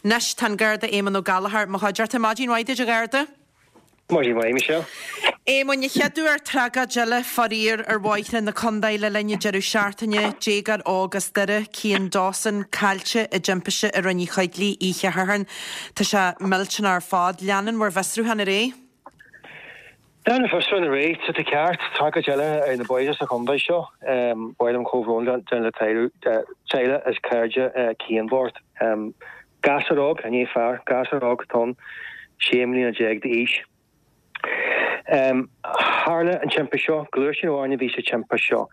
Anois tá an Garda Éamonn Ó Gallchóir i mo chuideachta. Maidin mhaith duit a Gharda. Maidin mhaith, Michelle. Éamoinn, an chéad uair tragóid eile faraor ar bhóithre na contae le linn an deireadh seachtaine, déagóir óg as Doire, Cian Dawson, caillte i dtimpiste i Rinn Uí Choigligh oíche Shathairn. Tá sé millteanach ar fad. Leanann bhur bhfiosrúchán ar aghaidh? Leanann an fiosrúchán ar aghaidh, tá tú ceart. Tragóid eile ar na bóithre sa chontae seo. Ba mhaith liom comhbhrón a dhéanamh le teaghlach is cairde Cian bocht. Gasúr óg, ní fear, gasúr óg atá ann, 16 mbliana d'aois. Tharla an timpiste seo, gluaisteán amháin a bhí sa timpiste seo.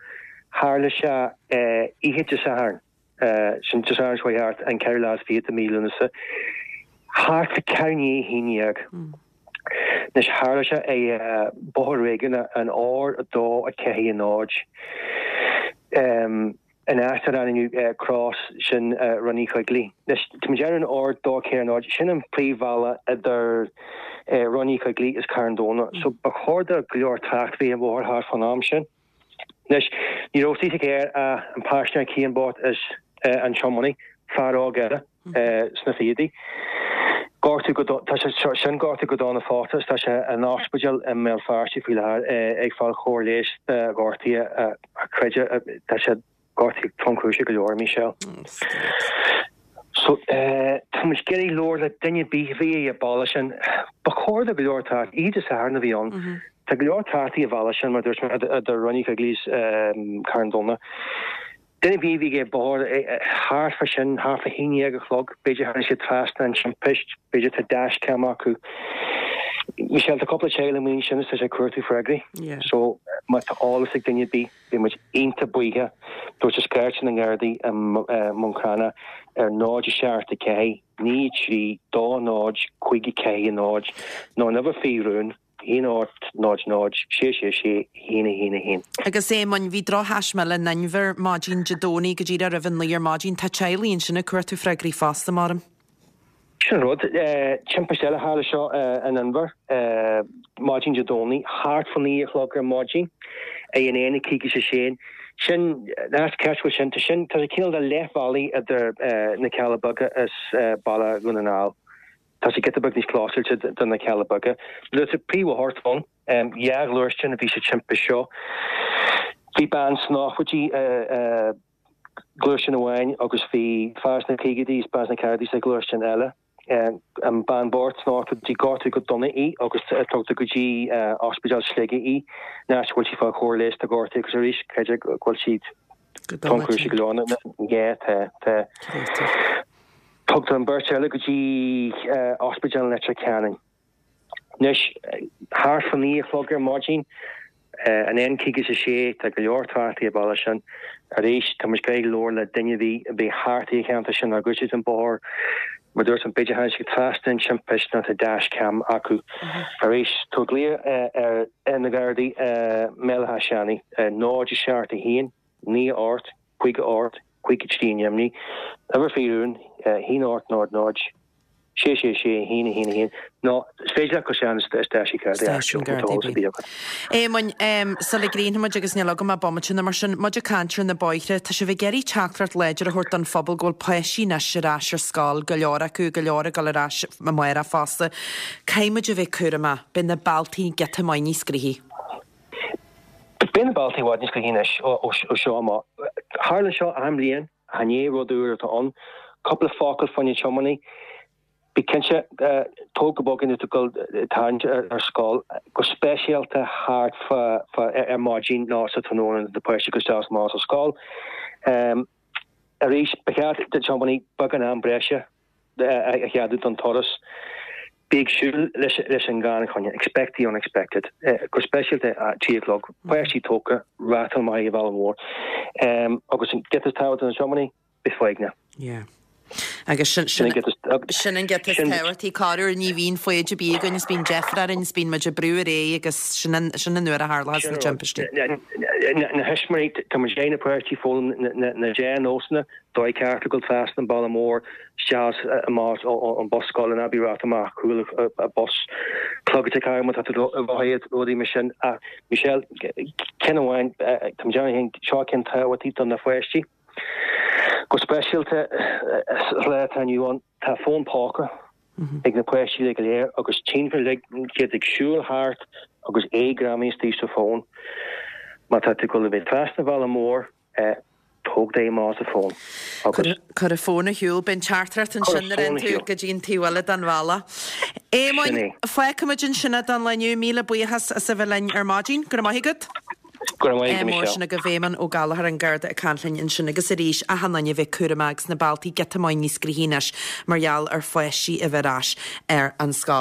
Tharla sé oíche Dé Sathairn, sin Dé Sathairn seo chuaigh thart, an ceathrú lá is fichead de mhí Lúnasa, thart fá ceathrú i ndiaidh a haon dhéag. Anois tharla sé ar bhóthar réigiúnach an R2 4 0. An áit ar ainmniú Cross sin Rinn Uí Choigligh. Anois, tá muid ar an R2 4 0, sin an príomhbhealach idir Rinn Uí Choigligh is Carn Domhnach. So ba chóir do go leor trácht bheith ar an bhóthar thart fán am sin. Anois, ní raibh sa charr ach an paisinéir Cian bocht is an tiománaí, fear óg eile sna fichidí. Gortú go, tá sé sin gortaithe go dona fosta is tá sé in ospidéal i mBéal Feirste faoi láthair ag fáil chóir leighis dá ghortuithe ach creidim tá sé gortaithe tromchúiseach go leor, Michelle. So tá muid ag iarraidh labhairt le duine ar bith a bhí ar an bhealach sin. Ba chóir do go leor trácht, oíche Dé Sathairn a bhí ann. Tá go leor trácht ar an bhealach sin mar dúirt mé idir Rinn Uí Choigligh is Carn Domhnach. Duine ar bith a bhí ag an bóthar thart fá sin, thart fá haon dhéag a chlog, b'fhéidir tháinig siad trasna an timpist, b'fhéidir tá dashcam acu. Michelle, tá cúpla teaghlach amuigh ansin is tá siad ag cuartú freagraí. So, má tá eolas ag duine ar bith, beidh muid iontach buíoch. Tabhairt isteach na nGardaí i mBun Cranncha ar 0 7 4 9 3 2 0 5 4 0 nó an uimhir faoi rún. 1 8 0 0 6 6 6 1 1 1. Agus Éamoinn, bhí drochthaisme eile in Inbhear maidin Dé Domhnaigh go díreach roimh a naoi ar maidin. Tá teaghlaigh ansin ag cuartú freagraí fosta, maram. Sin an rud. Timpiste eile tharla seo in Inbhear maidin Dé Domhnaigh, thart fá naoi a chlog ar maidin, ag an N 56. Sin, an áit ceart go bhfuil sin, tá sin, tá sé cineál de leath-bhealaigh idir na Cealla Beaga is Baile Dhún na nGall. Tá sé giota beag níos clósáilte do na Cealla Beaga. Luaite sa príomhbhóthar atá ann. Dhá ghluaisteán a bhí sa timpist seo. Bhí bean sna nóchaidí i ngluaisteán amháin agus bhí fear sna caogaidí is bean sna ceathrachaidí sa ghluaisteán eile. An bean bhocht sna nóchaidí gortaíodh go dona í agus tugtar go dtí Ospidéal Shligigh í, an áit a bhfuil sí ag fáil chóir leighis dá gortuithe agus arís creidim go bhfuil siad Go dona tinn. Go dona. Yeah, tá, tá. Créatúr. Tugtar an bheirt eile go dtí Ospidéal Leitir Ceanainn. Anois, thart fá naoi a chlog ar maidin, an N56, tá go leor trácht ar an bhealach sin. Arís, tá muid ag iarraidh labhairt le duine ar bith a bhí thart ar an cheantar sin ag úsáid an bóthar. Mar dúirt mé, b'fhéidir tháinig siad trasna an timpist nó tá dashcam acu. Arís, tabhair glaoch ar na Gardaí i mBéal Átha Seanaidh, 0 7 1 9 8 5 8 5 3 i nDoimní, uimhir faoi rún, 1 8 0 0 6 6 6 1 1 1, nó is féidir leat gabháil isteach i stáisiún Gardaí Stáisiún Gardaí ar bith. Éamoinn, sula gcríochnóidh muid, agus níl agam ach bomaite nó mar sin, muid ag caint ar na bóithre, tá sibh ag iarraidh teachtaireacht láidir a thabhairt don phobal go bhfuil páistí anois ar ais ar scoil, go leor acu, go leor ag dul ar ais amárach fosta. Caithfidh muid a bheith cúramach, beidh na bealtaí giota maith níos gnoithí. Beidh na bealtaí i bhfad níos gnoithí anois ó seo amach. Tharla seo achan bhliain, ach ní rud úr atá ann. Cúpla focal fá na tiománaí. Bí cinnte, tóg go bog é nuair atá tú ag dul ag tarraingt ar scoil, go speisialta thart fá ar maidin nó sa tráthnóna nuair atá páistí ag dul isteach is amach as an scoil. Arís, ba cheart do thiománaí beagán am breise a cheadú don turas. Bí ag súil leis an gan choinne, expect the unexpected, go speisialta a 3 a chlog, páistí tógtha, rátáil maith ar an bhealach mhór. Agus an giota is tábhachtaí do na tiománaí, bí foighneach. Yeah. Agus sin, sin, sin an giota is tábhachtaí. Corruair ní bhíonn foighid ar bith againn is bíonn deifir orainn is bíonn muid ag brú ar aghaidh agus sin an, sin an uair a tharlóchas na timpistí. Na thuismitheoirí, tá muid ag iarraidh na páistí foghlaim na dea-nósanna, dóigh ceart le dul trasna an bealach mór, isteach is amach ón bus scoile, ná bí ag rith amach cúl an bus, clogad ag má tá tú ag rothaíocht, rudaí mar sin. Ach Michelle, ceann amháin, tá muid ann, seo ceann tábhachtach do na pháistí. Go speisialta sa lá atá inniu ann, tá fón póca ag na páistí uilig go léir agus tchíonn uilig iad ag siúl thart agus é greamaithe istigh sa bhfón. Má tá tú ag dul a bheith trasna an bhealaigh mhóir, tóg d'aghaidh amach as an bhfón agus. Cuir an fón ar shiúl. Beidh an teachtaireacht ansin nuair a théann tú go dtí an taobh eile den bhealach. Éamoinn, fágfaimid ansin é don lá inniu. Míle buíochas as a bheith linn ar maidin. Go raibh maith agat. Go raibh maith agat, Michelle. Sin agaibh Éamonn Ó Gallchóir an Garda ag caint linn ansin agus arís achan duine a bheith cúramach agus na bealtaí giota maith níos gnoithí anois mar gheall ar pháistí a bheith ar ais ar an scoil.